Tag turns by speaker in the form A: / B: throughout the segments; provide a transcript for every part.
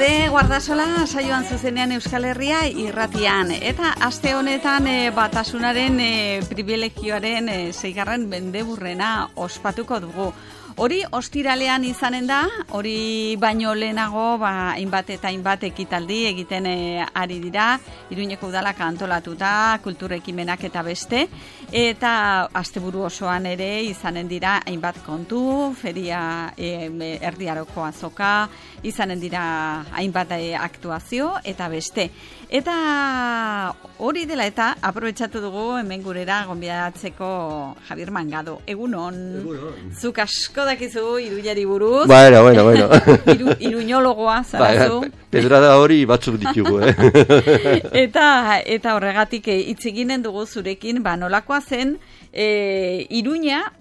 A: gaude Guardasola saioan zuzenean Euskal Herria irratian eta aste honetan batasunaren privilegioaren 6. mendeburrena ospatuko dugu. Hori ostiralean izanen da, hori baino lehenago hainbat eta hainbat ekitaldi egiten ari dira, Iruñeko udalak antolatuta, kultur ekimenak eta beste, eta asteburu osoan ere izanen dira hainbat kontu, feria erdiaroko azoka, izanen dira hainbat aktuazio eta beste. Eta hori dela eta aprobetxatu dugu hemen gurera gonbidatzeko Javier Mangado. Egunon. Zuk asko dakizu Iruñari buruz.
B: Bueno.
A: Iruñologoa zarazu.
B: Pedrada hori batzuk ditugu,
A: Eta horregatik hitz eginen dugu zurekin, nolakoa zen Iruña,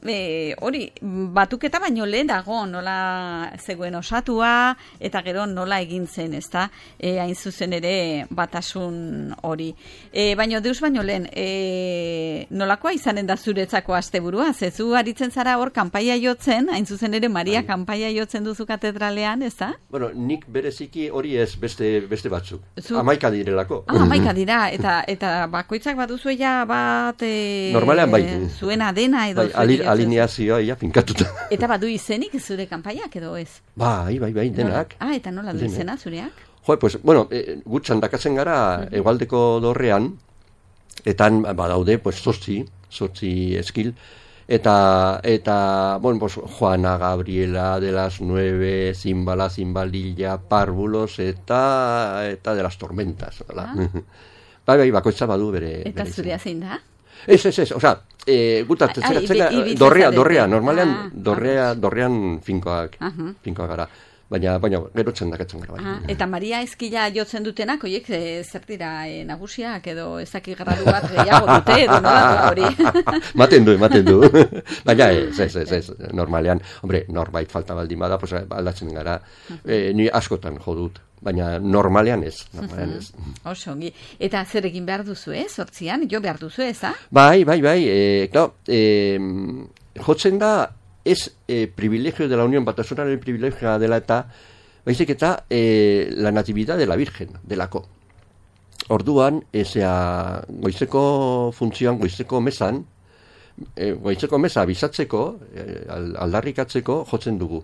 A: hori batuketa baino lehenago nola zegoen osatua eta gero nola egin zen, ezta? Hain zuzen ere batasun hori. Baino deus baino lehen, nolakoa izanen da zuretzako asteburua? Zezu aritzen zara hor kanpaia jotzen, hain zuzen ere Maria kanpaia jotzen duzu katedralean, ezta?
B: Bueno, nik bereziki hori ez beste batzuk. 11 direlako.
A: 11 dira, eta bakoitzak baduzu bat...
B: Normalean bai.
A: Zuena dena edo...
B: Alineazioa ia finkatuta.
A: Eta badu izenik zure kanpaiak edo ez?
B: Bai, denak.
A: Eta nola du izena zureak?
B: Pues, bueno, gutxan dakatzen gara hegoaldeko dorrean, etan badaude, pues, 8 eskil, eta bueno, pues, Juana, Gabriela, de las 9, Zimbala, Zimbalilla, Párvulos, eta de las tormentas. Bai, bakoitza badu bere...
A: Eta zurea zein da?
B: Ez, osea, gutatzen dorrea, normalean dorrean finkoak gara. Baina gero txandakatzen gara.
A: Eta Maria Ezkila jotzen dutenak, oiek, zer dira nagusiak edo ezaki gradu bat gehiago dute, edo nola hori?
B: Maten du. Baina ez, normalean, hombre, norbait falta baldin bada, pues, aldatzen gara, ni askotan jo dut. Baina normalean ez.
A: Oso ongi. Eta zer egin behar duzu, 8an? Jo behar duzu, eza?
B: Bai. Jotzen da, ez privilegio de la Unión Batasunaren privilegioa dela eta, baizik eta la natividad de la Virgen, delako. Orduan, goizeko funtzioan, goizeko mesa bizatzeko, aldarrikatzeko, jotzen dugu.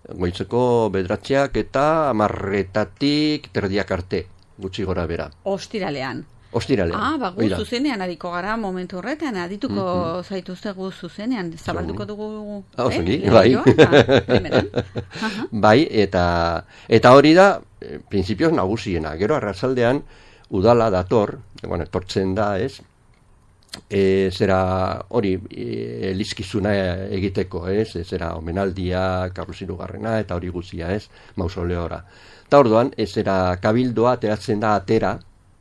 B: Goitzeko bedratxeak eta 10:00 terdiak arte, gutxi gora bera.
A: Ostiralean. Gu zuzenean adiko gara momentu horretan, adituko zaituztegu zuzenean, zabalduko dugu...
B: Bai. Bai, eta hori da, printzipioz nagusiena. Gero arratsaldean udala dator, etortzen da, ez? Zera hori elizkizuna egiteko, zera omenaldia, Karlos Hirugarrena eta hori guztia, mausoleora. Eta orduan, zera kabildoa ateratzen da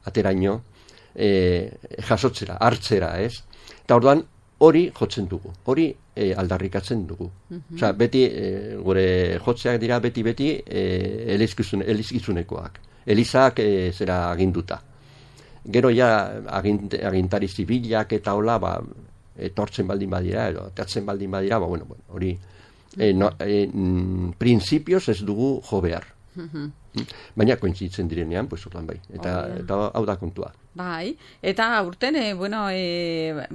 B: ateraino, jasotzera, hartzera, Eta orduan, hori jotzen dugu, hori aldarrikatzen dugu. Osea, beti, gure jotzeak dira beti elizkizunekoak. Elizak zera aginduta. Gero ja agintari zibilak eta hola, etortzen baldin badira, edo teatzen baldin badira, hori printzipioz ez dugu jo behar. Baina kointzitzen direnean, pues ordan bai. Eta hau da kontua.
A: Bai, eta urten,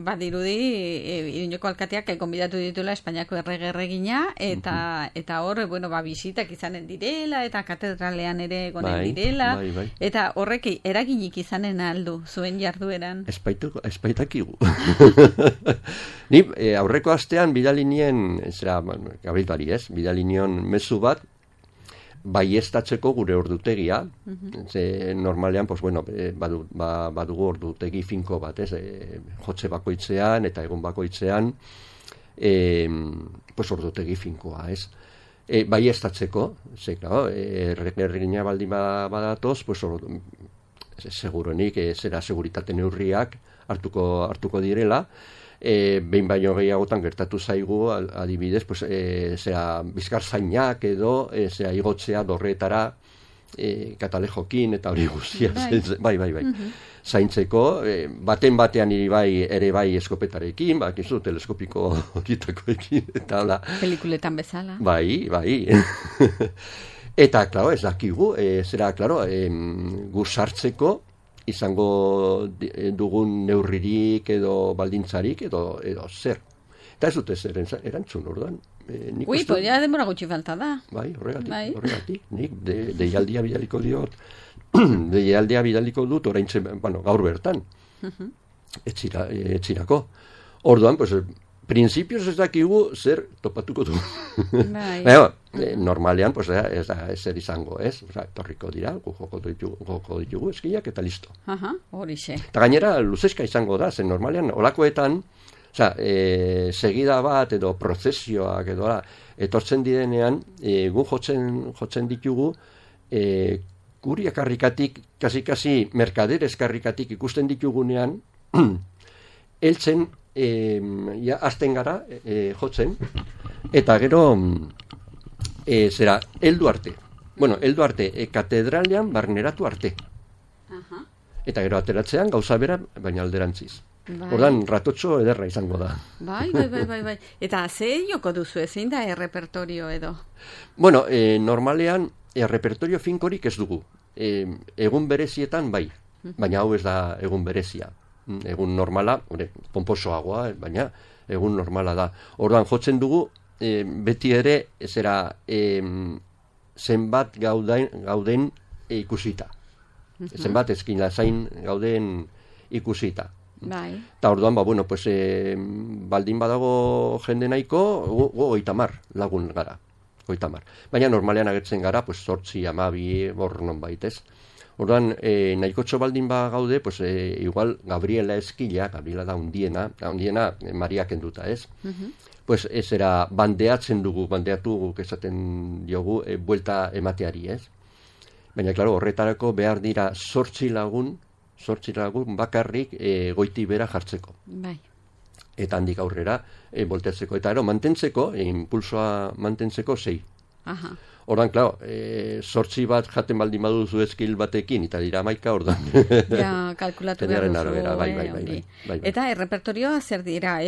A: badirudi, Iruñeko alkateak konbidatu ditula Espainiako erregina, eta hor, bisitak izanen direla, eta katedralean ere gonen direla, eta horrek eraginik izanen aldu, zuen jardueran.
B: Espaitakigu. Ni aurreko astean bidalinien, Gabrielari bidalinion mezu bat, baiestatzeko gure ordutegia, normalean, badugu ordutegi finko bat, jotze bakoitzean eta egun bakoitzean, ordutegi finkoa, baiestatzeko, erregina baldin badatoz, seguronik, zera seguritate neurriak hartuko direla, behin baino gehiagotan gertatu zaigu, adibidez, bizkar zainak edo, igotzea dorretara, katalejokin eta hori guztia. Bai. Zaintzeko, batean ere bai eskopetarekin, bakizu, teleskopiko horietakoekin, eta hola.
A: Pelikuletan bezala.
B: Bai. Eta, klaro, ez dakigu, zera, klaro, gu sartzeko izango dugun neurririk edo baldintzarik edo zer. Eta ez dute zer erantzun, orduan.
A: Ui, podria denbora gutxi falta da.
B: Bai, horregatik. Nik deialdia bidaliko diot, deialdia bidaliko dut oraintxe, gaur bertan. Etxirako. Orduan, pues, prinsipios ez dakigu zer topatuko du. Normalean, pues, ez da ezer izango, ez? Torriko dira, joko ditugu eskiak eta listo.
A: Horixe.
B: Eta gainera, luzeska izango da, zen normalean, olakoetan, segida bat edo prozesioak edo etortzen direnean, gu jotzen ditugu, guri akarrikatik, kasi merkaderez karrikatik ikusten ditugunean, heltzen, azten gara jotzen, eta gero, heldu arte. Bueno, heldu arte, katedralean barneratu arte. Eta gero ateratzean gauza bera, baina alderantziz. Ordan ratotxo ederra izango da.
A: Bai. Eta ze joko duzu, zein da errepertorio edo?
B: Bueno, normalean errepertorio finkorik ez dugu. Egun berezietan bai, baina hau ez da egun berezia. Egun normala, pomposoagoa, baina egun normala da. Ordan jotzen dugu, beti ere, zenbat gauden ikusita. Zenbat ezkina zain gauden ikusita. Eta orduan, baldin badago jende nahiko, 30 lagun gara. 30. Baina normalean agertzen gara, 8, 12, non baitez. Orduan, nahikotxo baldin gaude, igual Gabriela Eskila, Gabriela da undiena Maria kenduta, ez? Bandeatu esaten diogu, buelta emateari, ez? Baina, klaro, horretarako behar dira 8 lagun bakarrik goiti bera jartzeko.
A: Bai.
B: Eta handik aurrera volteatzeko. Eta mantentzeko, impulsoa mantentzeko 6. Ordan, klaro, 8 bat jaten baldin baduzu eskil batekin, eta dira 11 ordan.
A: Ja, kalkulatu behar duzu. Bai. Eta errepertorioa zer dira?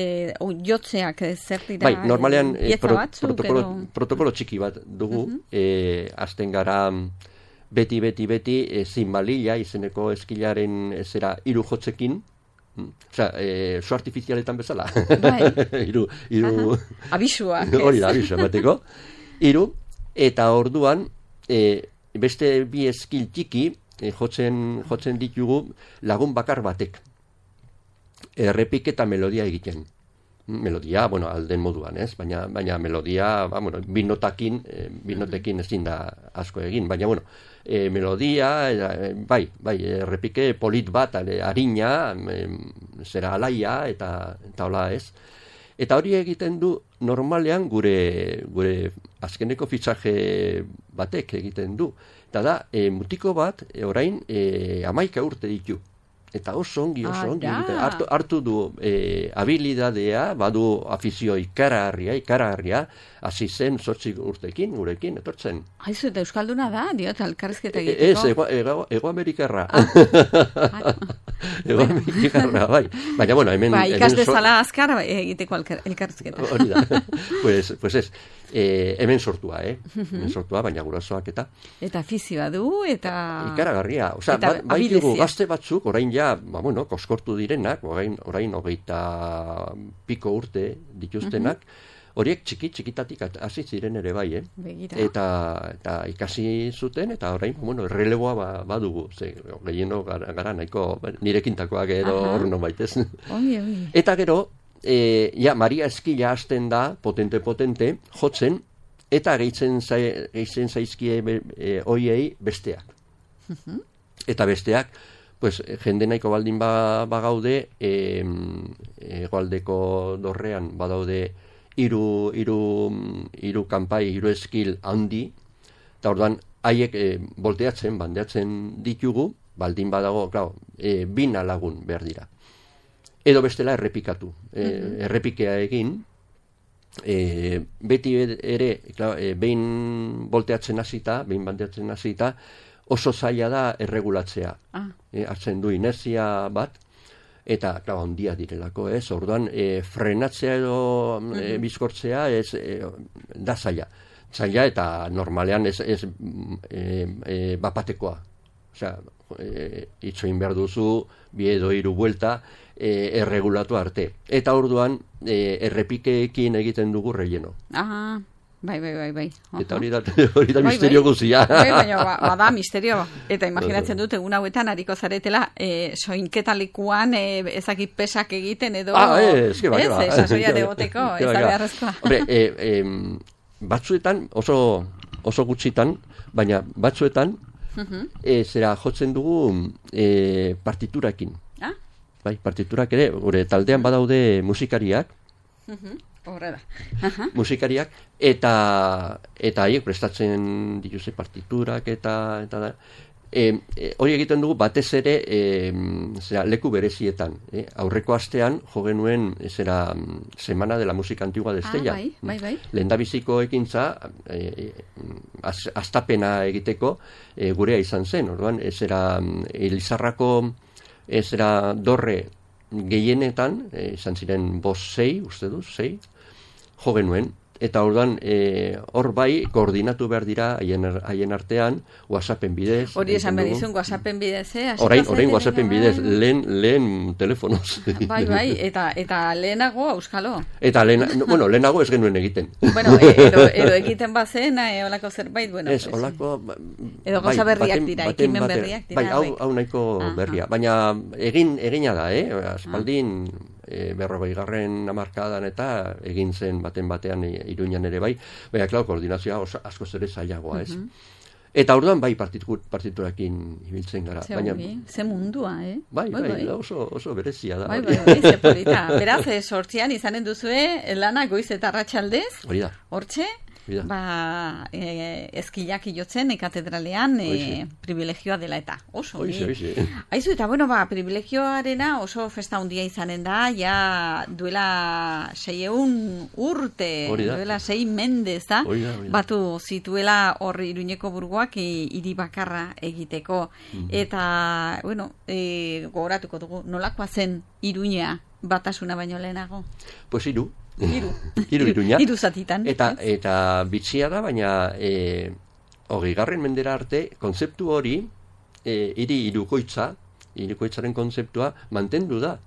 A: Jotzeak zer dira?
B: Bai, normalean protokolo txiki bat dugu. Azten gara beti, zinbalila izeneko eskilaren 3 jotzekin. Zu artifizialetan bezala.
A: Bai.
B: Abisua. Hori da, abisua bateko. 3. Eta orduan, beste 2 eskil txiki jotzen ditugu lagun bakar batek. Errepik eta melodia egiten. Melodia, alden moduan, ez? Baina melodia, binotekin ezin da asko egin. Baina, melodia, bai, errepike polit bat, harina, zera alaia, eta hola, ez? Eta hori egiten du normalean gure azkeneko fitxaje batek egiten du. Eta da, mutiko bat, orain, 11 urte ditu. Eta oso ongi. Hartu du habilidadea, badu afizio ikaragarria, hasi zen 8 urtekin, gurekin, etortzen.
A: Haizu, eta euskalduna da, diot, elkarrizketa egiteko?
B: Ez, Ego Amerikarra. Ego Amerikarra, bai. Baina, hemen...
A: Ikas dezala azkar egiteko elkarrizketa.
B: Hori da. Pues ez, hemen sortua, hemen sortua, baina gurasoak eta...
A: Eta afizioa du, eta...
B: Ikaragarria. Bai dugu gazte batzuk, orain ja, koskortu direnak, orain 20 piko urte dituztenak, horiek txikitatik hasi ziren ere bai, eta ikasi zuten, eta orain, erreleboa badugu, gehieno gara nahiko nirekintakoak edo hor non baitez. Eta gero, Maria Eskila hasten da, potente, jotzen, eta gehitzen zaizkie hoiei besteak. Eta besteak, jende nahiko baldin bagaude, hegoaldeko dorrean badaude hiru kanpai, 3 eskil handi, eta orduan haiek bandeatzen ditugu, baldin badago, 2 lagun behar dira. Edo bestela errepikatu. Errepikea egin, beti ere, behin volteatzen hasita, behin bandeatzen hasita, oso zaila da erregulatzea. Hartzen du inertzia bat, eta, handia direlako, ez? Orduan, frenatzea edo bizkortzea da zaila. zaila eta normalean ez bapatekoa. Osea, itxoin behar duzu, 2 edo 3 buelta, erregulatu arte. Eta orduan, errepikeekin egiten dugu relleno.
A: Aha, bai.
B: Eta hori da misterio guzia.
A: Baina, bada misterio. Eta imaginatzen dut, egun hauetan hariko zaretela, soinketalikuan ezakit pesak egiten edo...
B: Ez, bai.
A: Sasoia degoteko, ez da beharrezkoa.
B: Hombre, batzuetan, oso gutxitan, baina batzuetan, zera jotzen dugu partiturakin. Bai, partiturak ere, gure taldean badaude musikariak,
A: horre da.
B: Musikariak, eta haiek prestatzen dituze partiturak eta da. Hori egiten dugu batez ere leku berezietan. Aurreko astean jo genuen Semana de la Música Antigua de Estella.
A: Bai.
B: Lehendabiziko ekintza astapena egiteko gurea izan zen. Orduan, Elizarrako dorre gehienetan, izan ziren 5-6, uste du, 6, jo genuen. Eta orduan, hor bai, koordinatu behar dira haien artean, WhatsAppen bidez.
A: Hori esan behar izun, WhatsAppen bidez,
B: Orain WhatsAppen bidez, lehen telefonoz.
A: Bai, eta lehenago auskalo.
B: Eta lehenago ez genuen egiten.
A: Bueno, edo egiten bazen, olako zerbait, bueno.
B: Ez, olako...
A: Edo gauza berriak dira, ekimen berriak dira.
B: Bai, hau nahiko berria. Baina egina da, aspaldin... 40. hamarkadan eta egin zen batean Iruñan ere bai, baina, klar, koordinazioa asko ere zailagoa, ez? Eta orduan bai partiturakin ibiltzen gara.
A: Ze mundua,
B: Bai, oso berezia da.
A: Bai, ze polita. Beraz, 8an izanen duzue, lana goiz eta arratsaldez.
B: Hori da.
A: Hortxe, ezkilak jotzen katedralean privilegioa dela eta oso. Aizu, eta privilegioarena oso festa handia izanen da, ja duela 600 urte, duela 6 mendez da, batu zituela hor Iruñeko burgoak hiri bakarra egiteko. Eta, gogoratuko dugu, nolakoa zen Iruña batasuna baino lehenago?
B: Pues Hiru Iruña.
A: 3 zatitan.
B: Eta bitxia da, baina 20. mendera arte, kontzeptu hori, hirukoitzaren kontzeptua mantendu da.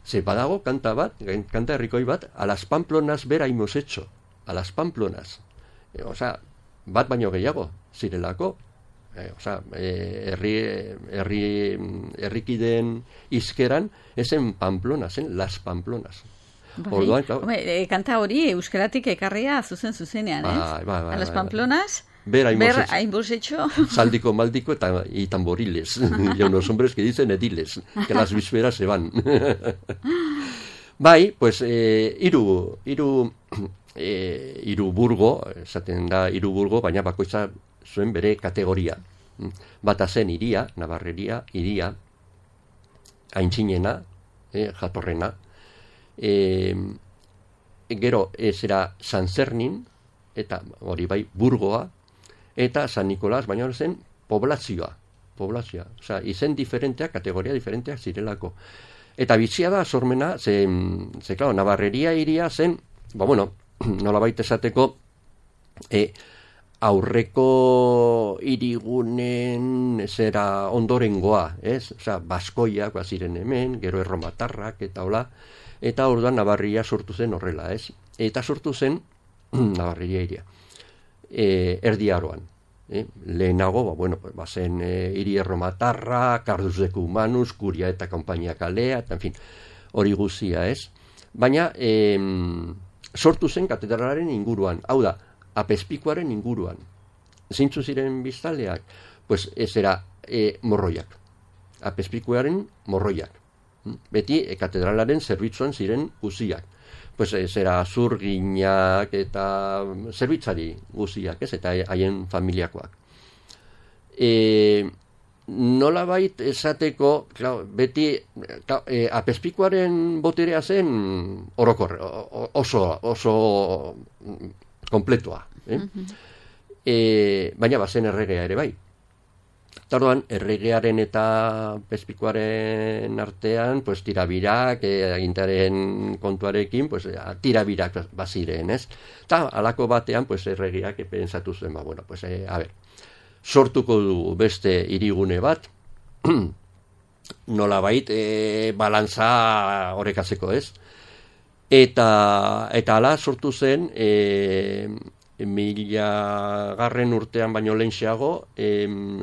B: Ze badago kanta herrikoi bat, a las Pamplonas bera hemos hecho. A las Pamplonas. Bat baino gehiago, zirelako. Herrikideen izkeran, esen Pamplona, zen las Pamplonas. Orduan,
A: kanta hori euskaratik ekarria zuzenean,
B: a
A: las Pamplonas,
B: ver
A: hemos hecho
B: saldico, maldico y tamboriles, y unos hombres que dicen ediles, que las vísperas se van. Bai, pues hiru burgo, esaten da hiru burgo, baina bakoitza zuen bere kategoria. Bata zen iria, Navarreria, iria, aintzinena, jatorrena, gero zera San Zernin, eta hori bai burgoa, eta San Nicolás, baina hori zen poblazioa, osea, izen diferenteak, kategoria diferenteak zirelako. Eta bitxia da sormena, ze claro, Navarreria iria zen, nolabait esateko, aurreko irigunen zera ondorengoa, ez? Osea, baskoiak ziren hemen, gero erromatarrak eta hola, eta orduan Navarria sortu zen horrela, ez? Eta sortu zen Navarreria iria. Erdi Aroan. Lehenago, zen hiri erromatarra, Cardus de Cumanus, Curia eta Kompainia kalea, eta, en fin, hori guzia, ez? Baina, sortu zen katedralaren inguruan, hau da, apezpikuaren inguruan. Zintzu ziren biztaleak? Pues ez era morroiak. Apezpikuaren morroiak. Beti katedralaren zerbitzuan ziren guziak. Pues ez era zurginak eta zerbitzari guziak, ez? Eta haien familiakoak. Nolabait esateko, beti apezpikuaren boterea zen orokor, oso kompletua. Baina bazen erregea ere bai. Orduan, erregearen eta Pezpikoaren artean, pues, tirabirak, agintaren kontuarekin, pues, tirabirak baziren, ez? Eta alako batean, pues, erregeak pentsatu zuen, bueno, pues, sortuko du beste hirigune bat, nolabait, balantza horrekatzeko, ez? Eta ala sortu zen, 1000 urtean baino lehenxeago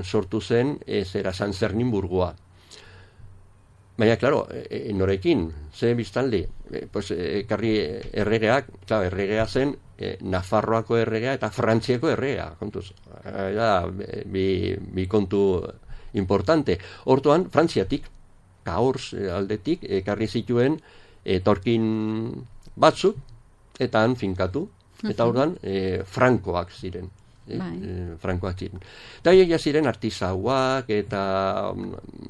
B: sortu zen zera San Zernimburgoa. Baina, klaro, norekin, ze biztanle, pues, ekarri erregeak, klaro, erregea zen Nafarroako erregea eta Frantziako erregea, kontuz. Bi kontu importante. Hortuan, Frantziatik, Cahors aldetik, ekarri zituen etorkin batzuk, eta han finkatu. Eta orduan, frankoak ziren. Frankoak ziren. Eta haiek ziren artisauak eta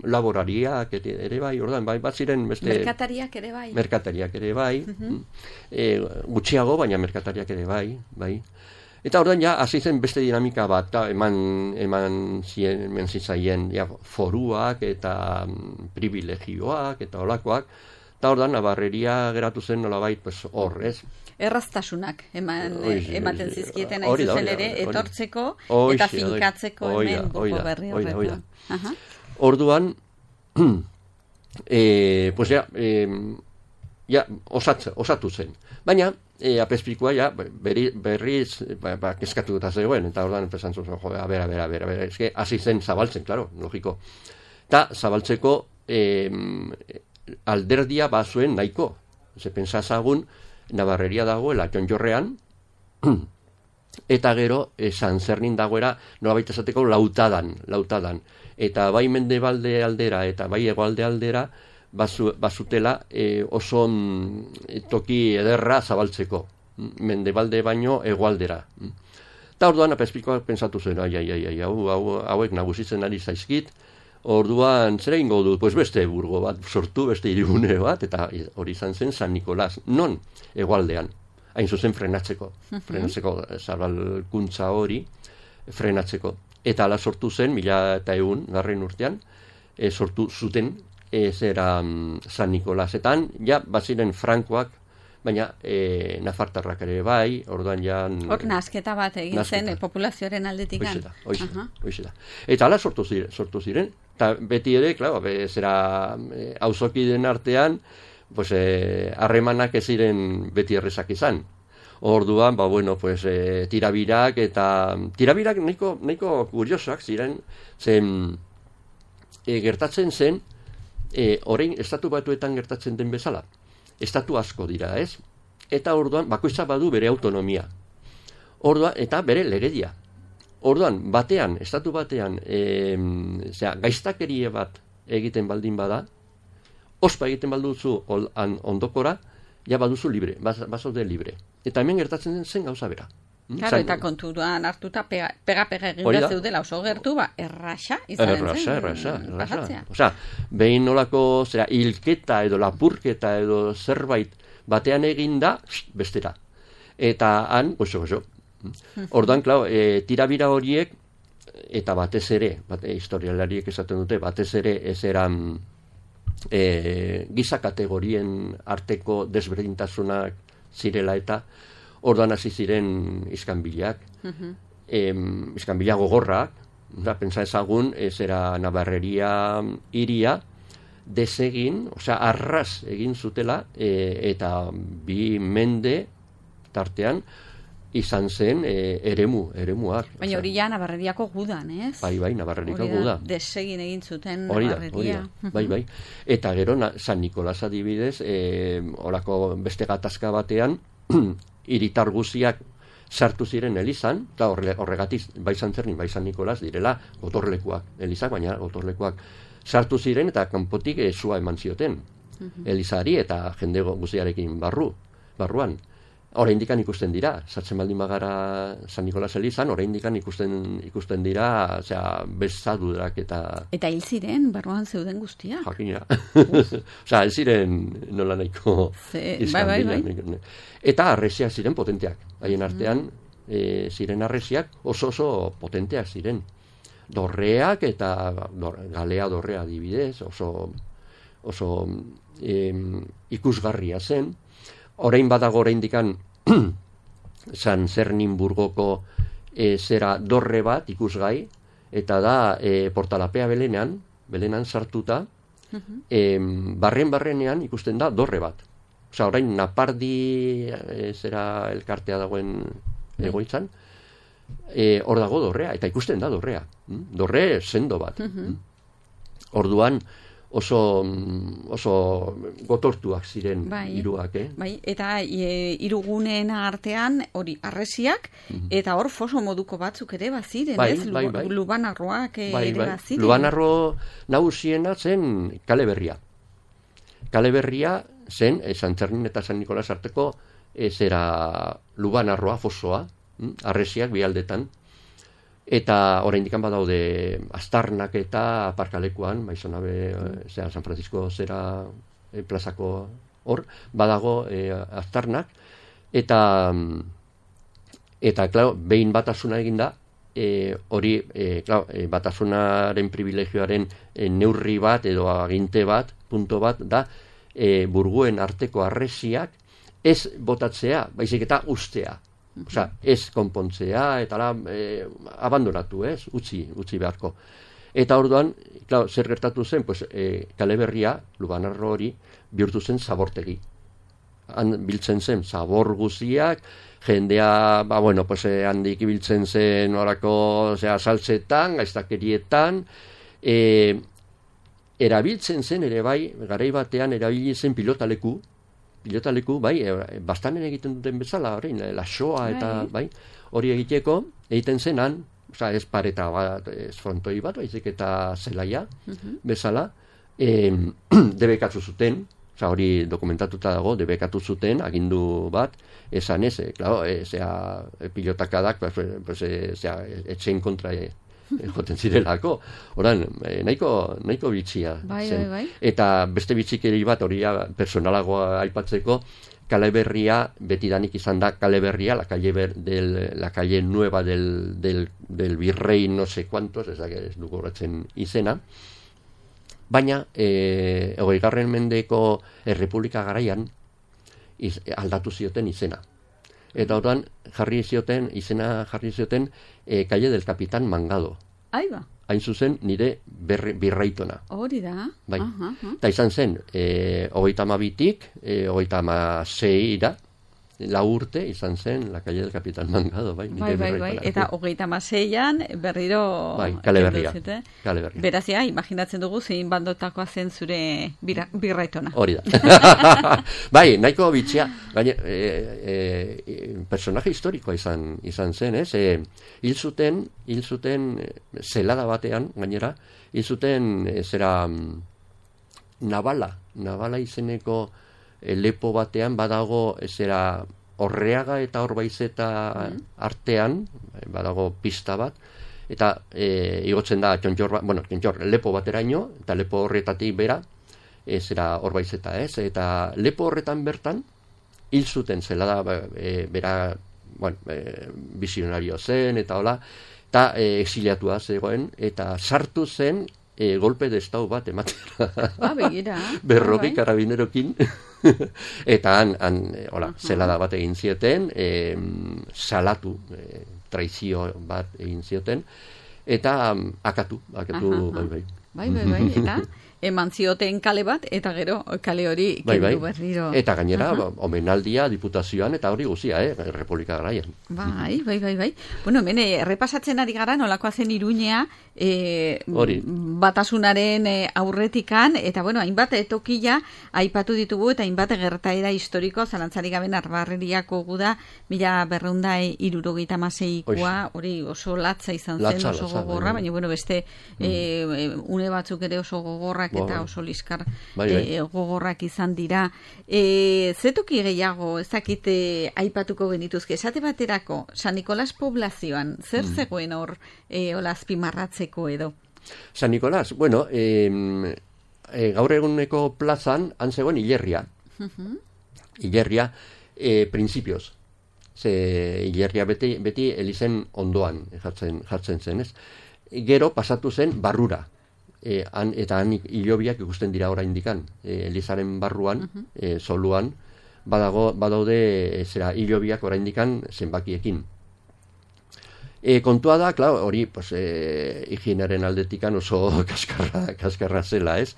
B: laborariak ere bai, orduan, bat ziren beste...
A: Merkatariak ere bai.
B: Merkatariak ere bai. Gutxiago, baina merkatariak ere bai. Eta orduan, ja, hasi zen beste dinamika bat, eman zitzaien foruak eta privilegioak eta olakoak. Eta orduan, nabarreria geratu zen nolabait hor, ez?
A: Erraztasunak ematen zizkieten hain zuzen ere, etortzeko eta finkatzeko hemen Burgo Berri horretan.
B: Orduan, pues osatu zen. Baina, Apezpikoa berriz kezkatu eta zegoen, eta orduan esan zuen, a ber, eske hasi zen zabaltzen, klaro, logiko. Eta zabaltzeko alderdia bazuen nahiko. Ze pentsazagun, Nabarreria dagoela Txonjorrean, eta gero San Zernin dagoera nolabait esateko lautadan. Eta bai mendebalde aldera eta bai hegoalde aldera bazutela oso toki ederra zabaltzeko. Mendebalde baino hegoaldera. Eta orduan Apezpikoak pentsatu zen, hauek nagusitzen ari zaizkit, orduan, zer egingo dut? Pues beste burgo bat sortu, beste hirigune bat, eta hori izan zen San Nikolas. Non? Hegoaldean. Hain zuzen frenatzeko. Frenatzeko zabalkuntza hori frenatzeko. Eta ala sortu zen, 1100 urtean, sortu zuten zera San Nikolasetan, ja, baziren frankoak, baina nafartarrak ere bai, orduan ja...
A: Hor nasketa bat egin zen populazioaren aldetik.
B: Hoize da. Eta ala sortu ziren, eta beti ere, klaro, zera auzokideen artean, pues harremanak ez ziren beti errezak izan. Orduan, tirabirak eta... Tirabirak nahiko kuriosoak ziren, zen gertatzen zen, orain estatu batuetan gertatzen den bezala. Estatu asko dira, ez? Eta orduan, bakoitza badu bere autonomia. Orduan, eta bere legedia. Orduan, estatu batean, gaiztakerie bat egiten baldin bada, ospa egiten balduzu ondokora, ja baduzu libre, bazaude libre. Eta hemen gertatzen zen gauza bera.
A: Claro, eta kontuan hartuta pega eginda zeudela oso gertu, erraxa izanen zen.
B: Erraxa. Osea, behin nolako hilketa edo lapurketa edo zerbait batean eginda, bestera. Eta han, oso. Orduan, klar, tirabira horiek, eta batez ere, historialariek esaten dute, batez ere ez eran giza kategorien arteko desberdintasunak zirela eta orduan hasi ziren iskanbilak. Iskanbila gogorrak, pentsa ezagun, zera Nabarreria hiria desegin, arras egin zutela, eta 2 mende tartean izan zen eremuak.
A: Baina hori ja Nabarreriako gudan, ez?
B: Bai, Nabarreriako guda.
A: Desegin egin zuten Nabarreria.
B: Bai. Eta gero San Nikolas adibidez, horako beste gatazka batean, hiritar guziak sartu ziren elizan, eta horregatik bai San Zernin, bai San Nikolas direla gotorlekuak, elizak, baina gotorlekuak sartu ziren eta kanpotik sua eman zioten elizari eta jende guziarekin barruan. Oraindik ikusten dira, sartzen baldin bagara San Nikolas elizan, oraindik ikusten dira, bezadurak eta...
A: Eta hil ziren, barruan zeuden guztiak.
B: Jakina. Ez ziren nola nahiko izkan.
A: Bai.
B: Eta arresiak ziren potenteak. Haien artean ziren arresiak oso potenteak ziren. dorreak eta galea dorrea adibidez, oso ikusgarria zen. Orain badago oraindikan San Zernimburgoko zera dorre bat ikusgai, eta da Portalapea Belenan sartuta, barrenean ikusten da dorre bat. Osa, orain Napardi zera elkartea dagoen egoitzan, hor dago dorrea, eta ikusten da dorrea. Dorre sendo bat. Orduan oso gotortuak ziren hiruak,
A: Bai, eta hiruguneen artean hori harresiak, eta hor foso moduko batzuk ere baziren, ez? Lubanarroak ere baziren.
B: Lubanarro nagusiena zen Kale Berria. Kale Berria zen San Txernin eta San Nikolas arteko zera Lubanarroa, fosoa, harresiak bialdetan. Eta oraindik badaude aztarnak eta aparkalekuan, Maizonabe, San Francisco zera plazako hor, badago aztarnak, eta claro, behin batasuna eginda, hori, batasunaren privilegioaren neurri bat edo aginte bat, punto bat, da burguen arteko harresiak ez botatzea, baizik eta ustea. Osa, ez konpontzea, eta abandonatu, utzi beharko. Eta orduan, zer gertatu zen, Kale Berria, Lubanarro hori, bihurtu zen zabortegi. Han biltzen zen zabor guziak, jendea, handik biltzen zen orako saltzetan, gaiztakerietan, erabiltzen zen ere bai, garai batean erabili zen pilotaleku, bai, bastanen egiten duten bezala, lasoa eta, bai, hori egiten zenan, ez pareta bat, ez frontoi bat, baizik eta zelaia, bezala, debekatu zuten, hori dokumentatuta dago, debekatu zuten, agindu bat, esan ez, pilotakadak, etxen kontra joten zirelako. Horan, nahiko bitxia zen. Bai. Eta beste bitxikeri bat, hori personalagoa aipatzeko, Kale Berria, betidanik izan da Kale Berria, la calle nueva del virrey no sé cuantos, ez dugu horretzen izena, baina 20. mendeko Errepublika garaian aldatu zioten izena. Eta hortan izena jarri zioten calle del Capitán Mangado.
A: Aiba.
B: Hain zuzen nire birraitona.
A: Hori da.
B: Bai. Eta izan zen, 32-tik, 36-ira, 4 urte izan zen la calle del Capitán Mangado. Bai.
A: Eta 36an berriro...
B: Bai, Kale Berria.
A: Berazia, imaginatzen dugu zein bandotakoa zen zure birraitona.
B: Hori da. Bai, nahiko bitxia, personaje historikoa izan zen, ez? Hil zuten zelada batean, gainera, hil zuten zera Navala izeneko lepo batean badago zera Orreaga eta Orbaizeta artean, badago pista bat, eta igotzen da Txontxor lepo bateraino, eta lepo horretatik bera, zera Orbaizeta, ez? Eta lepo horretan bertan, hil zuten zelada bera, visionario zen, eta hola, eta exiliatua zegoen, eta sartu zen golpe de estado bat ematera.
A: Begira.
B: 40 karabinerokin. Eta zelada bat egin zioten, salatu, traizio bat egin zioten, eta akatu, bai.
A: Bai, eta eman zioten kale bat, eta gero kale hori kendu berriro.
B: Eta gainera, omenaldia diputazioan, eta hori guzia, Republika garaian.
A: Bai. Bueno, hemen, errepasatzen ari gara, nolakoa zen Iruñea, batasunaren aurretikan, eta hainbat tokila aipatu ditugu, eta hainbat gertaera historiko, zalantzarik gabe Narbarreriako guda, 1276koa, hori oso latza izan zen, oso gogorra, baina beste une batzuk ere oso gogorrak eta oso liskar gogorrak izan dira. Zetoki gehiago, ezakite aipatuko genituzke, esate baterako, San Nikolas poblazioan, zer zegoen hor azpimarratzeko edo?
B: San Nikolas, gaur eguneko plazan, han zegoen hilerria. Hilerria, principios. Hilerria beti elizen ondoan jartzen zen, ez? gero pasatu zen barrura. Eta han hilobiak ikusten dira oraindikan. Elizaren barruan, soluan, badaude hilobiak oraindikan zenbakiekin. Kontua da, klar, hori higienaren aldetikan oso kaskarra zela, ez?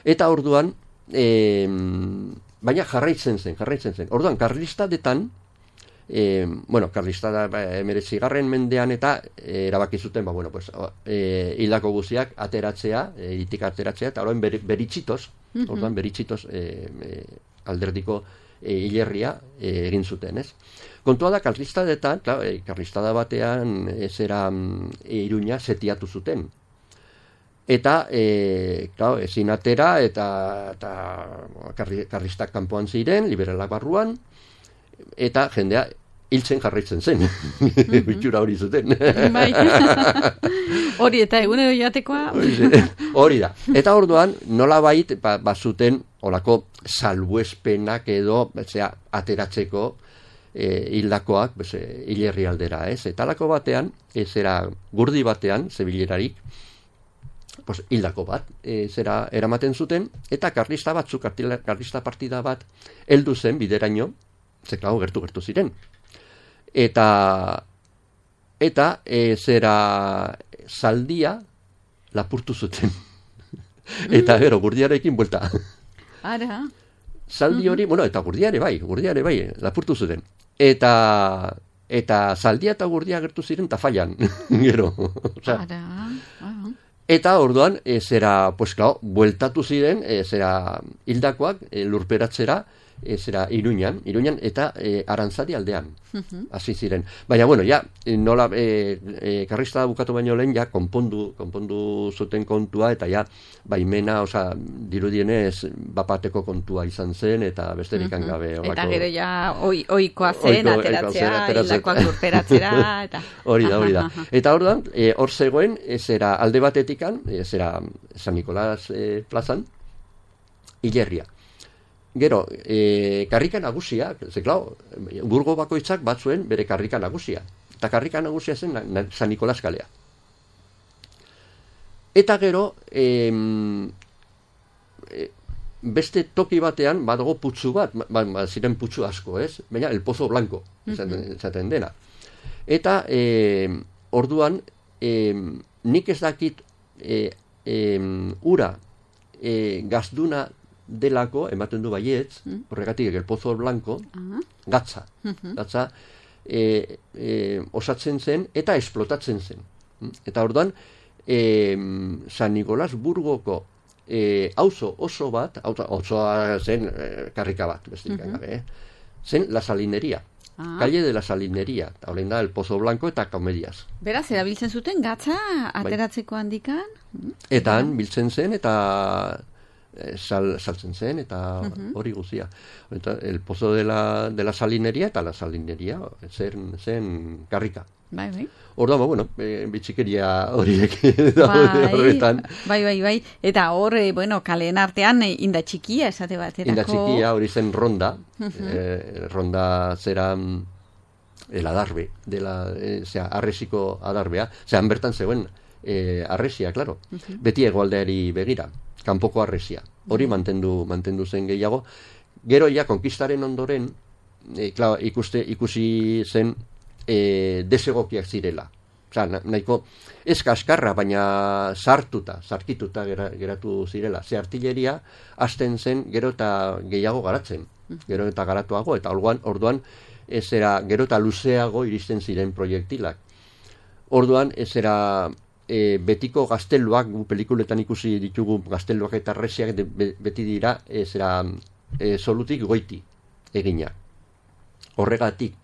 B: Eta orduan, baina jarraitzen zen. Orduan, karlistadetan, karlista da 19. mendean eta erabaki zuten, hildako guziak ateratzea, itik ateratzea, eta orduan beritxitos, alderdiko hilerria egin zuten, ez? Kontua da, karlistada batean Iruña setiatu zuten. Eta, ezin atera, eta karlistak kanpoan ziren, liberalak barruan, eta jendea hiltzen jarraitzen zen. Bitxura hori zuten.
A: Hori eta egunero jatekoa.
B: Hori da. Eta orduan, nolabait bazuten olako salbuespenak edo ateratzeko hildakoak hilerri aldera, ez? Eta alako batean, gurdi batean, zebilerarik, hildako bat, eramaten zuten, eta karlista partida bat heldu zen bideraino, zeklago gertu ziren. Eta zaldia lapurtu zuten. Eta gero, gurdiarekin buelta.
A: Ara.
B: Zaldi hori, eta gurdiare bai, lapurtu zuten. Eta zaldia eta gurdia gertu ziren tafailan, gero.
A: Ara.
B: Eta orduan, bueltatu ziren, hildakoak lurperatzera, Iruñan eta Arantzadi aldean, hasi ziren. Baina, nola karlistada bukatu baino lehen, konpondu zuten kontua, eta baimena, dirudienez, bapateko kontua izan zen, eta besterik gabe.
A: Eta gero oikoa zen, ateratzea, hildakoak lurperatzera, eta...
B: Hori da. Eta orduan, hor zegoen, alde batetikan, San Nicolás plazan, hilerria. Gero, karrika nagusia, burgo bakoitzak batzuen bere karrika nagusia. Eta karrika nagusia zen San Nicolás kalea. Eta gero, beste toki batean badago putzu bat, ziren putzu asko, ez? Baina, el Pozo Blanco, esaten dena. Eta, orduan, nik ez dakit ura gazduna delako, ematen du baietz, horregatik el Pozo Blanco, gatza osatzen zen eta esplotatzen zen. Eta orduan, San Nicolás Burgoko auzo oso bat, osoa zen karrika bat, besterik gabe, zen La Salinería. Calle de la Salinería, horrein da el Pozo Blanco eta Comedias.
A: Beraz, erabiltzen zuten gatza ateratzeko handikan?
B: Eta han biltzen zen eta saltzen zen eta hori guzia. Eta el Pozo de la Salinería eta la Salinería zen karrika.
A: Bai.
B: Orduan, bitxikeria horiek horretan.
A: Bai. Eta hor, kaleen artean inda txikia esate baterako.
B: Inda txikia hori zen ronda. Ronda zera el adarbe, arresiko adarbea. Han bertan zegoen arresia, klaro. Beti hegoaldeari begira. Kanpoko arresia. Hori mantendu zen gehiago. Gero konkistaren ondoren, ikusi zen desegokiak zirela. Nahiko ez kaskarra, baina sarkituta geratu zirela. Ze artilleria hasten zen gero eta gehiago garatzen. Gero eta garatuago, eta orduan gero eta luzeago iristen ziren proiektilak. Orduan betiko gazteluak, pelikuletan ikusi ditugu gazteluak eta arresiak beti dira solutik goiti egina. Horregatik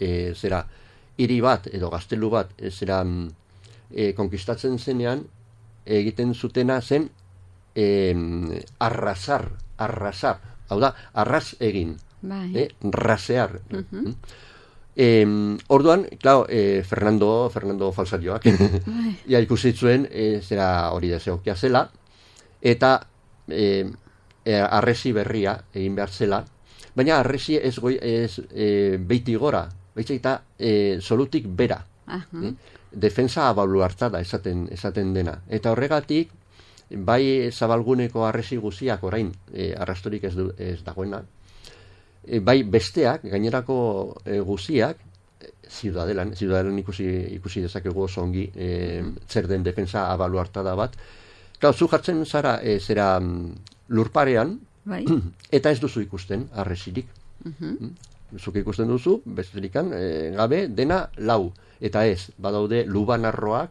B: hiri bat edo gaztelu bat konkistatzen zenean egiten zutena zen arrasar, hau da, arras egin, rasear. Orduan, Fernando Falsarioak ikusi zuen hori desegokia zela, eta arresi berria egin behar zela, baina arresi ez beiti gora, baitza eta solutik bera. defensa abaluartada esaten dena. Eta horregatik, bai zabalguneko arresi guziak orain arrastorik ez dagoena, bai besteak, gainerako guziak, ziudadelan ikusi dezakegu oso ongi zer den defensa abaluartada bat. Klar, zu jartzen zara zera lurparean,
A: bai.
B: Eta ez duzu ikusten arresirik. Zuk ikusten duzu, bestelikan, gabe, dena lau. Eta ez, badaude lubanarroak,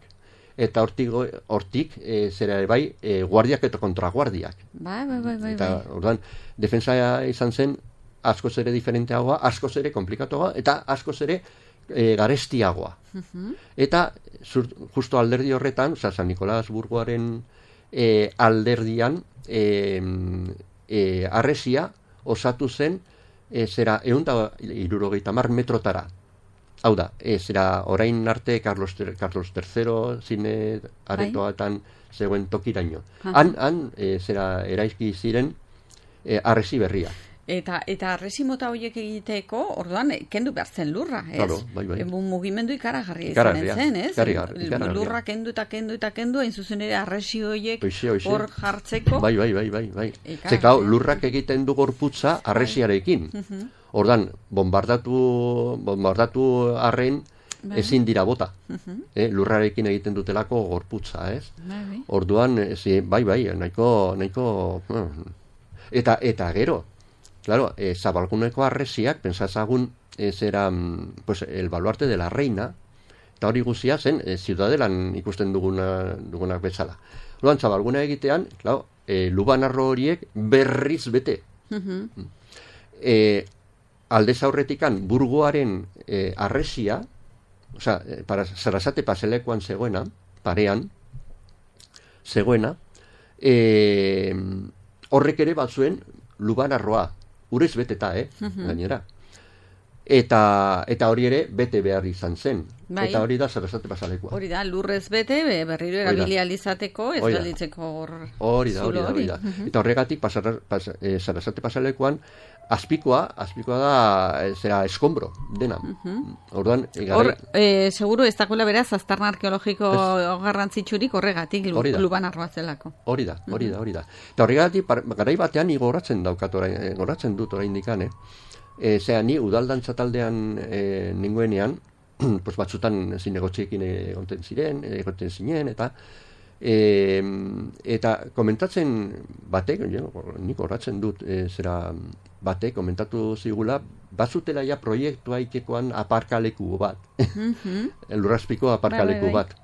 B: eta hortik zera bai, guardiak eta kontraguardiak.
A: Bai.
B: Eta, orduan, defensa izan zen, askoz ere diferenteagoa, askoz ere komplikatuagoa, eta askoz ere garestiagoa. Eta, justo alderdi horretan, San Nikolas Burgoaren alderdian, arresia osatu zen, zera 170 metrotara. Hau da, zera orain arte Carlos III zine aretoatan zegoen tokiraino. Han zera eraizki ziren arresi berria.
A: Eta arresi mota horiek egiteko, orduan, kendu behar zen lurra, ez?
B: Claro, bai.
A: Mugimendu ikaragarria izanen zen, ez?
B: Ikaragarria.
A: Lurra kendu, hain zuzen ere arresi horiek hor jartzeko.
B: Bai. Zekau, lurrak egiten du gorputza arresiarekin. Orduan, bombardatu arren ezin dira bota. Lurrarekin egiten dutelako gorputza, ez? Orduan, bai, nahiko... Eta gero, claro, zabalguneko arresiak, pensatzagun, zera, pues, el baluarte de la reina, eta hori guzia zen, ziudadelan ikusten dugunak bezala. Orduan, zabalguna egitean, claro, lubanarro horiek berriz bete. Aldez aurretikan burgoaren arresia, osea, Sarasate paselekoan zegoena, parean, zegoena, horrek ere batzuen lubanarroa, urez beteta, gainera. Eta hori ere bete behar izan zen.
A: Bai.
B: Eta hori da Sarasate pasalekoa.
A: Hori da, lurrez bete, berriro erabilializateko, ez gelditzeko
B: hori da. Eta horregatik Sarasate pasalekoan azpikoa da zera eskombro dena. Orduan,
A: seguru ez dagoela beraz aztarna arkeologiko garrantzitsurik horregatik lubanarroa zelako. Hori da.
B: Eta horregatik garai batean gogoratzen dut oraindik, ni udaldantza taldean ninguenean, pues batzutan zinegotxeekin egoten zinen, eta komentatzen batek, nik horratzen dut, batek komentatu zigula, bazutela ja proiektua ikekoan aparkaleku bat, lurrazpiko aparkaleku bat.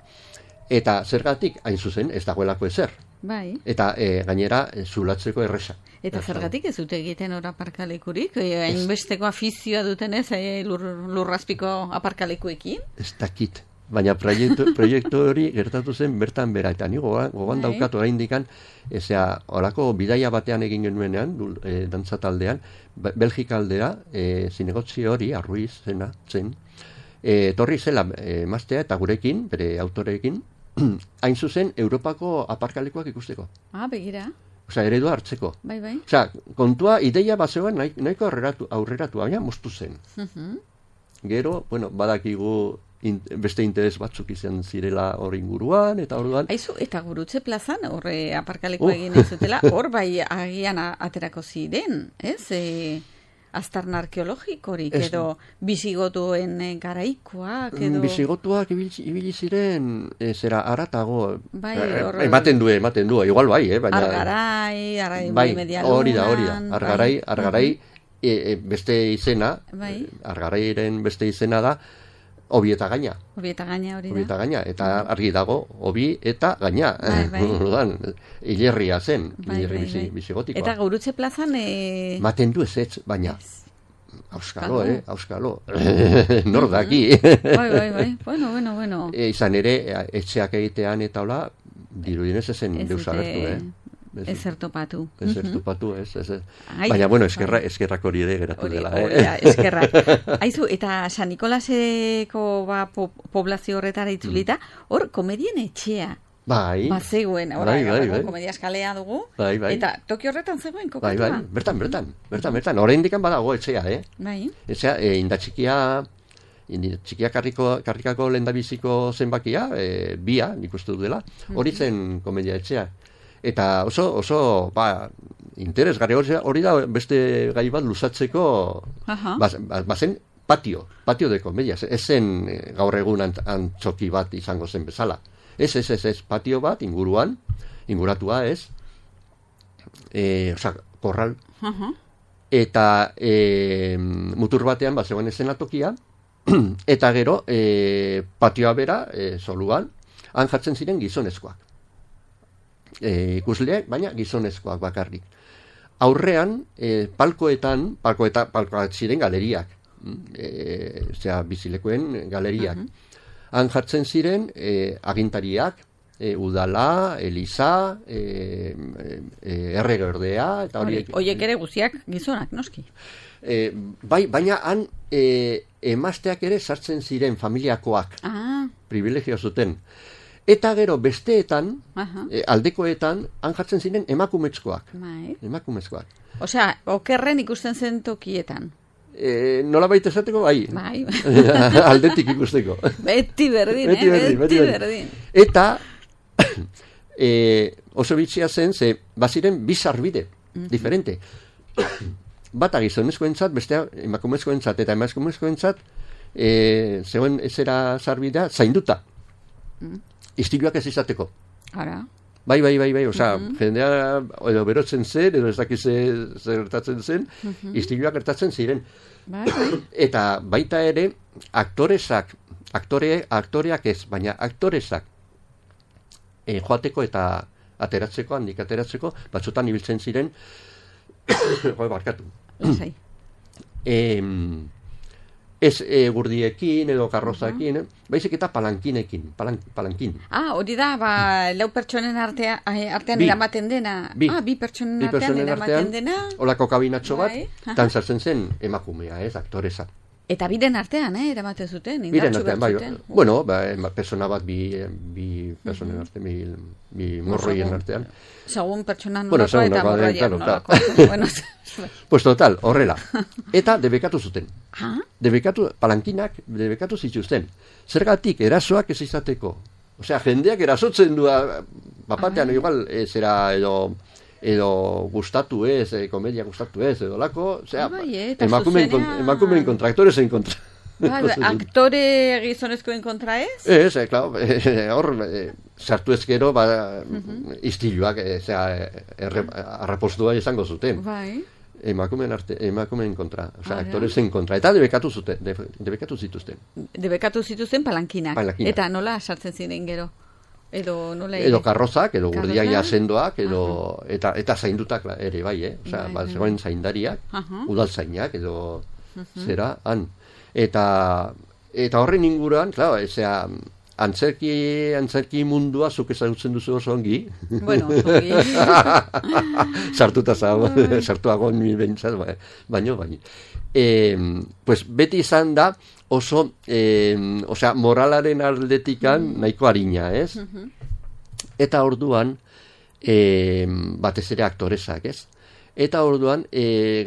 B: Eta zergatik, hain zuzen, ez dagoelako ezer.
A: Bai.
B: Eta gainera zulatzeko erresa.
A: Eta zergatik ez dute egiten hor aparkalekurik? Hainbesteko afizioa dutenez lurrazpiko aparkalekuekin?
B: Ez dakit. Baina proiektu hori gertatu zen bertan bera. Eta ni gogoan daukat oraindikan, horako bidaia batean egin genuenean, dantzataldean, Belgika aldera, zinegotzi hori, Arruiz zen, torri zela emaztea eta gurekin, bere autorekin, hain zuzen, Europako aparkalekuak ikusteko.
A: Begira.
B: Osea, eredua hartzeko.
A: Bai.
B: Osea, kontua, ideia bat zegoen nahiko aurreratu, baina moztu zen. Gero, badakigu beste interes batzuk izan zirela hor inguruan, eta orduan...
A: Aizu, eta Gurutze plazan, horre aparkaleko egin ez zutela, hor bai agian aterako ziren, ez? Aztarna arkeologikorik, edo bisigotuen garaikoak, edo...
B: Bisigotuak ibili ziren, zera aratago, ematen du, igual bai, baina...
A: Argarai medialunan...
B: Hori da, argarai beste izena, argarairen beste izena da, Obi eta gaina. Obi eta gaina, eta argi dago, obi eta gaina. Orduan, hilerria zen, hilerri bizigotikoa.
A: Eta Gurutze plazan...
B: Maten du ez, baina... Auskalo. Nor daki.
A: Bai. Bueno.
B: Izan ere, etxeak egitean eta hola, dirudienez ezen deus agertu,
A: Ezer topatu.
B: Ez. Baina, eskerrak hori ere geratu dela.
A: Eskerrak. Aizu, eta San Nikolaseko poblazio horretara itzulita, hor komedien etxea.
B: Bai.
A: Zegoen, komedia eskalea dugu.
B: Bai.
A: Eta toki horretan zegoen kokatua.
B: Bai. Bertan. Orain dikan badago etxea,
A: Bai.
B: Etxea, indatxikia txikiak karrikako lehendabiziko zenbakia, bia, nik uste dut dela, hori zen komedia etxea. Eta oso interesgarri hori da beste gai bat luzatzeko, bazen patio de komedia, ez zen gaur egun antzoki bat izango zen bezala. Ez, patio bat inguratua ez, korral, eta mutur batean zegoen eszenatokia, eta gero patioa bera, soluan, han jartzen ziren gizonezkoak. Ikusleak, baina gizonezkoak bakarrik. Aurrean, palkoak ziren galeriak, bizilekoen galeriak. Han jartzen ziren agintariak, udala, eliza, erregeordea, eta horiek...
A: Horiek ere guziak gizonak, noski?
B: Baina han emazteak ere sartzen ziren familiakoak, privilegio zuten. Eta gero besteetan, aldekoetan, han jartzen ziren emakumezkoak. Emakumezkoak.
A: Osea, okerren ikusten zen tokietan.
B: Nola baita esateko, bai. Aldetik ikusteko.
A: Beti berdin, beti berdin.
B: Eta oso bitxia zen, baziren bi sarbide, diferente. Bata gizonezkoentzat, bestea emakumezkoentzat, eta emakumezkoentzat zegoen ezera sarbidea zainduta. Istiluak ez izateko.
A: Ara.
B: Bai, osea, jendea edo berotzen zen, edo ez dakiz zer gertatzen zen, istiluak gertatzen ziren. Eta baita ere, aktoreak ez, baina aktoresak joateko eta ateratzeko, handik ateratzeko, batzutan ibiltzen ziren, barkatu. Ez gurdiekin edo karrozakin, baizik eta palankin.
A: Hori da, lau pertsonen artean eramaten dena. Bi pertsonen artean eramaten dena.
B: Olako kabinatxo bat, tan sartzen zen emakumea, aktoresa.
A: Eta biren artean, eramaten zuten,
B: indartxu bertzuten. Bueno, persona bat, bi personen artean, bi morroien artean.
A: Segun pertsona nolako eta morroien nolako.
B: Pues total, horrela. Eta debekatu zuten. Palankinak debekatu zituzten. Zergatik, erasoak ez izateko. Osea, jendeak erasotzen du, bapatean, igual, zera edo gustatu ez, komedia gustatu ez, edo lako, osea, emakumeen kontra, aktorezen kontra.
A: Aktore gizonezkoen kontra ez?
B: Ez, klaro, hor, sartu ezkero, istiluak, arrapostua izango zuten. Emakumeen kontra, osea, aktorezen kontra, eta debekatu zituzten.
A: Debekatu zituzten palankinak. Eta nola sartzen ziren gero?
B: Edo karrozak, edo gurdiak jasendoak, eta zaindutak ere bai, osea, zegoen zaindariak, udaltzainak, edo zera, han. Eta horren inguruan, klaro, ezea, antzerki mundua zuk ezagutzen duzu oso ongi.
A: Bueno, ongi.
B: Sartuago ni bentsat, baino. Pues beti izan da oso, osea, moralaren aldetikan nahiko harina, ez? Eta orduan, batez ere aktoresak, ez? Eta orduan,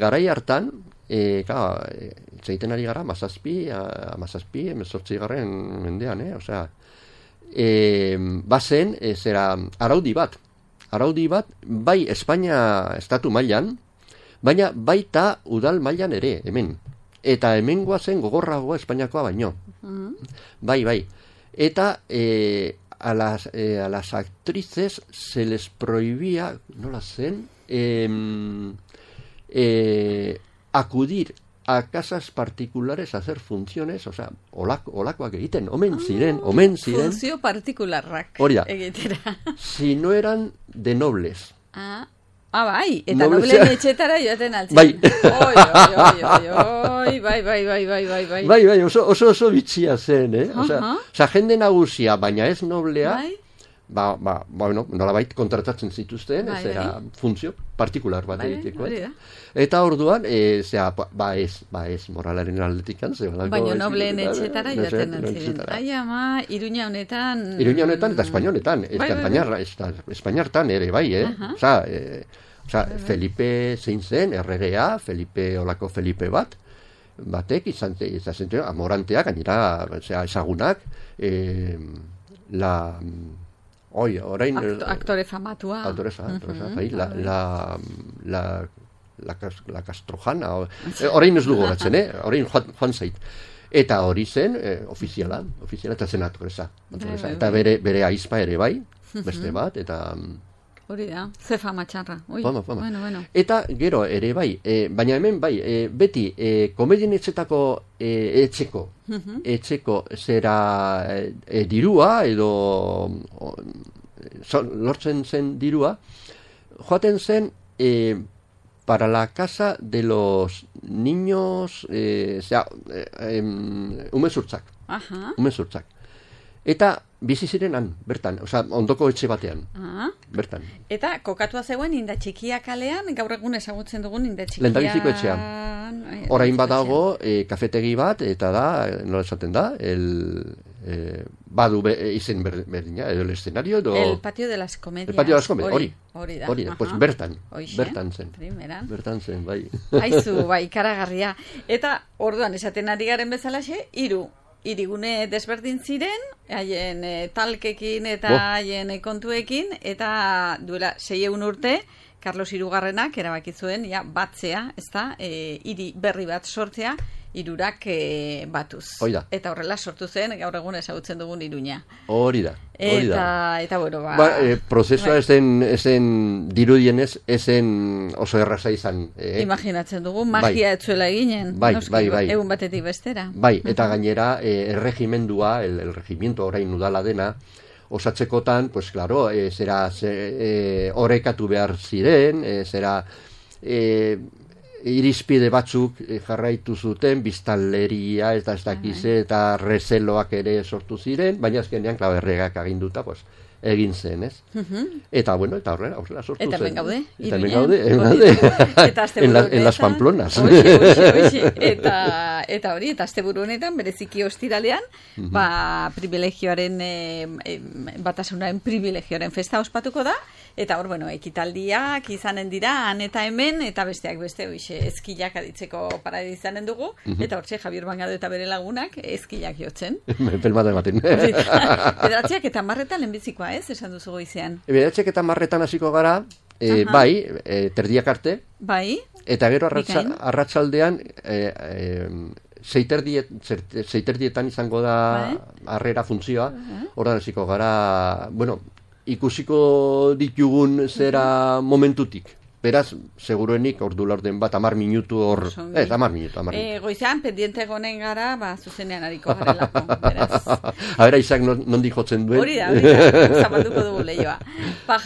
B: garai hartan, zeiten ari gara, amazazpi, 18. mendean, osea, bazen, araudi bat, bai Espainia estatu mailan, baina baita udal mailan ere, hemen. Eta hemen guazen gogorragoa Espainiakoa baino. Bai. Eta a las actrices se les prohibía, nola zen, acudir a casas particulares a hacer funciones, o sea, olakoak egiten, omen ziren.
A: Funzio partikularrak egitera.
B: Si no eran de nobles.
A: Bai, eta nobleen etxetara joaten altzen.
B: Bai. Bai, oso bitxia zen, Osa, jende nagusia, baina ez noblea, bueno, nolabait kontratatzen zituzten, ez era funtzio partikular bat egiteko. Eta orduan, ez, moralaren aldetikan.
A: Baina nobleen etxetara joaten altzen. Ai, ama, Iruña honetan
B: eta Espainia honetan, Espainiartan ere, bai, Osa, Felipe zein zen, erregea, olako Felipe bat, batek izan zen amoranteak, gainera ezagunak, orain...
A: Aktore famatua.
B: La Castrojana, orain ez dugu gatzen, orain joan zait. Eta hori zen, ofiziala eta zen aktoresa. Eta bere aizpa ere bai, beste bat, eta...
A: Hori da, ze fama txarra. Bueno.
B: Eta gero ere bai, baina hemen bai, beti komedien etxeko zera dirua edo lortzen zen dirua, joaten zen para la casa de los niños, umezurtzak. Eta bizi ziren han, bertan, ondoko etxe batean, bertan.
A: Eta kokatua zegoen Inda Txikia kalean, gaur egun ezagutzen dugun Inda Txikia...
B: Lehendabiziko etxean. Orain badago kafetegi bat, eta da, nola esaten da, badu izen berdina, edo el escenario, edo...
A: El patio de las comedias.
B: El patio de las comedias,
A: hori
B: da, pues bertan zen. Bertan zen, bai.
A: Aizu, bai, karagarria. Eta orduan esaten ari garen bezalaxe, hirigune desberdin ziren, haien talkekin eta haien kontuekin, eta duela 600 urte, Carlos Hirugarrenak erabaki zuen batzea, ezta, hiri berri bat sortzea, hirurak batuz. Eta horrela sortu zen, gaur egun ezagutzen dugun Iruña.
B: Hori da.
A: Eta bueno,
B: prozesua esen dirudienez, esen oso erraza izan.
A: Imaginatzen dugu, magia etzuela eginen.
B: Bai.
A: Egun batetik bestera.
B: Bai, eta gainera, erregimendua, el regimiento orain udala dena, osatzekotan, pues claro, orekatu behar ziren, irizpide batzuk jarraitu zuten, biztanleria, ez dakize, eta rezeloak ere sortu ziren, baina azkenean, erregak aginduta, pues, egin zen, ez? Eta, bueno, eta horrela sortu zen.
A: Eta hemen gaude.
B: En las Pamplonas.
A: Eta hori, eta asteburu honetan, bereziki ostiralean, privilegioaren, batasunaren privilegioaren festa ospatuko da, eta hor, bueno, ekitaldiak izanen dira, han eta hemen, eta besteak beste, eskilak aditzeko paradi izanen dugu, eta hortxe, Javier Bangado eta bere lagunak, eskilak jotzen.
B: Pelmata ematen.
A: Edatziak eta marretan lehenbizikoa, ez, esan duzu goizean.
B: Edatziak eta marretan hasiko gara, bai, terdiak arte,
A: bai,
B: eta gero arratsaldean zeiterdietan izango da harrera funtzioa, horren hasiko gara, bueno, ikusiko ditugun zera momentutik. Beraz, seguruenik ordu laurden bat 10 minutu hor... 10 minutu.
A: Goizean, pendiente gonen gara, zuzenean hariko garelako, beraz.
B: Habera, Isaac, nondik jotzen duen?
A: Hori da, zabalduko dugu lehioa.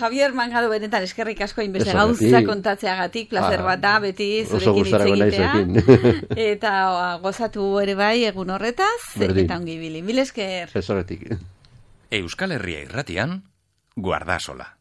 A: Javier Mangado benetan eskerrik asko inbeste gauza kontatzeagatik, placer bat da, beti zurekin hitz egitea. Eta gozatu ere bai egun horretaz, eta ongi bili. Mil esker.
B: Ez horretik.
C: Euskal Herria Irratian, Guardasola.